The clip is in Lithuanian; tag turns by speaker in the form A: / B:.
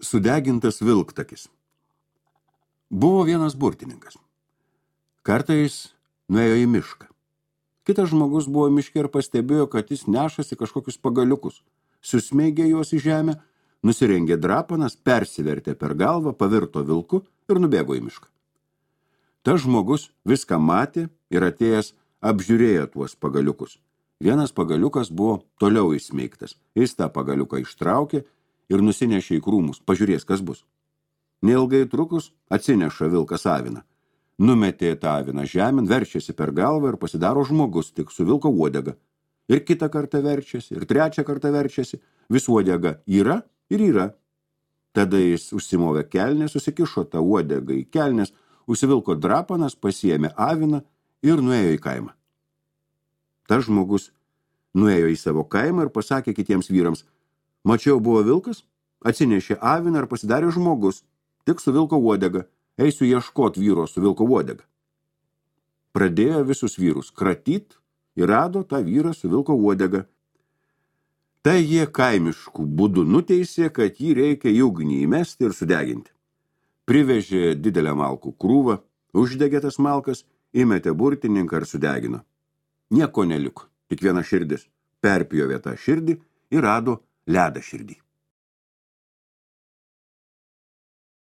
A: Sudegintas vilktakis. Buvo vienas burtininkas. Kartais nuėjo į mišką. Kitas žmogus buvo miške ir pastebėjo, kad jis nešasi kažkokius pagaliukus. Susmeigė juos į žemę, nusirengė drapanas, persivertė per galvą, pavirto vilku ir nubėgo į mišką. Tas žmogus viską matė ir atėjęs apžiūrėjo tuos pagaliukus. Vienas pagaliukas buvo toliau įsmeigtas. Jis tą pagaliuką ištraukė ir nusinešė į krūmus, pažiūrės, kas bus. Neilgai trukus atsineša vilkas aviną. Numetė tą aviną žemėn, verčiasi per galvą ir pasidaro žmogus tik su vilko uodega. Ir kitą kartą verčiasi, ir trečią kartą verčiasi. Vis uodega yra ir yra. Tada jis užsimovė kelnes, susikišo tą uodegą į kelnes, užsivilko drapanas, pasiėmė aviną ir nuėjo į kaimą. Tas žmogus nuėjo į savo kaimą ir pasakė kitiems vyrams: mačiau, buvo vilkas, atsinešė aviną ir pasidarė žmogus, tik su vilko uodega. Eisiu ieškot vyro su vilko uodega. Pradėjo visus vyrus kratyt ir rado tą vyrą su vilko uodega. Tai jie kaimiškų būdų nuteisė, kad jį reikia į ugnį įmesti ir sudeginti. Privežė didelę malkų krūvą, uždegė tas malkas, įmetė burtininką ir sudegino. Nieko neliko, tik viena širdis. Perpjovė tą širdį ir rado ledą širdį.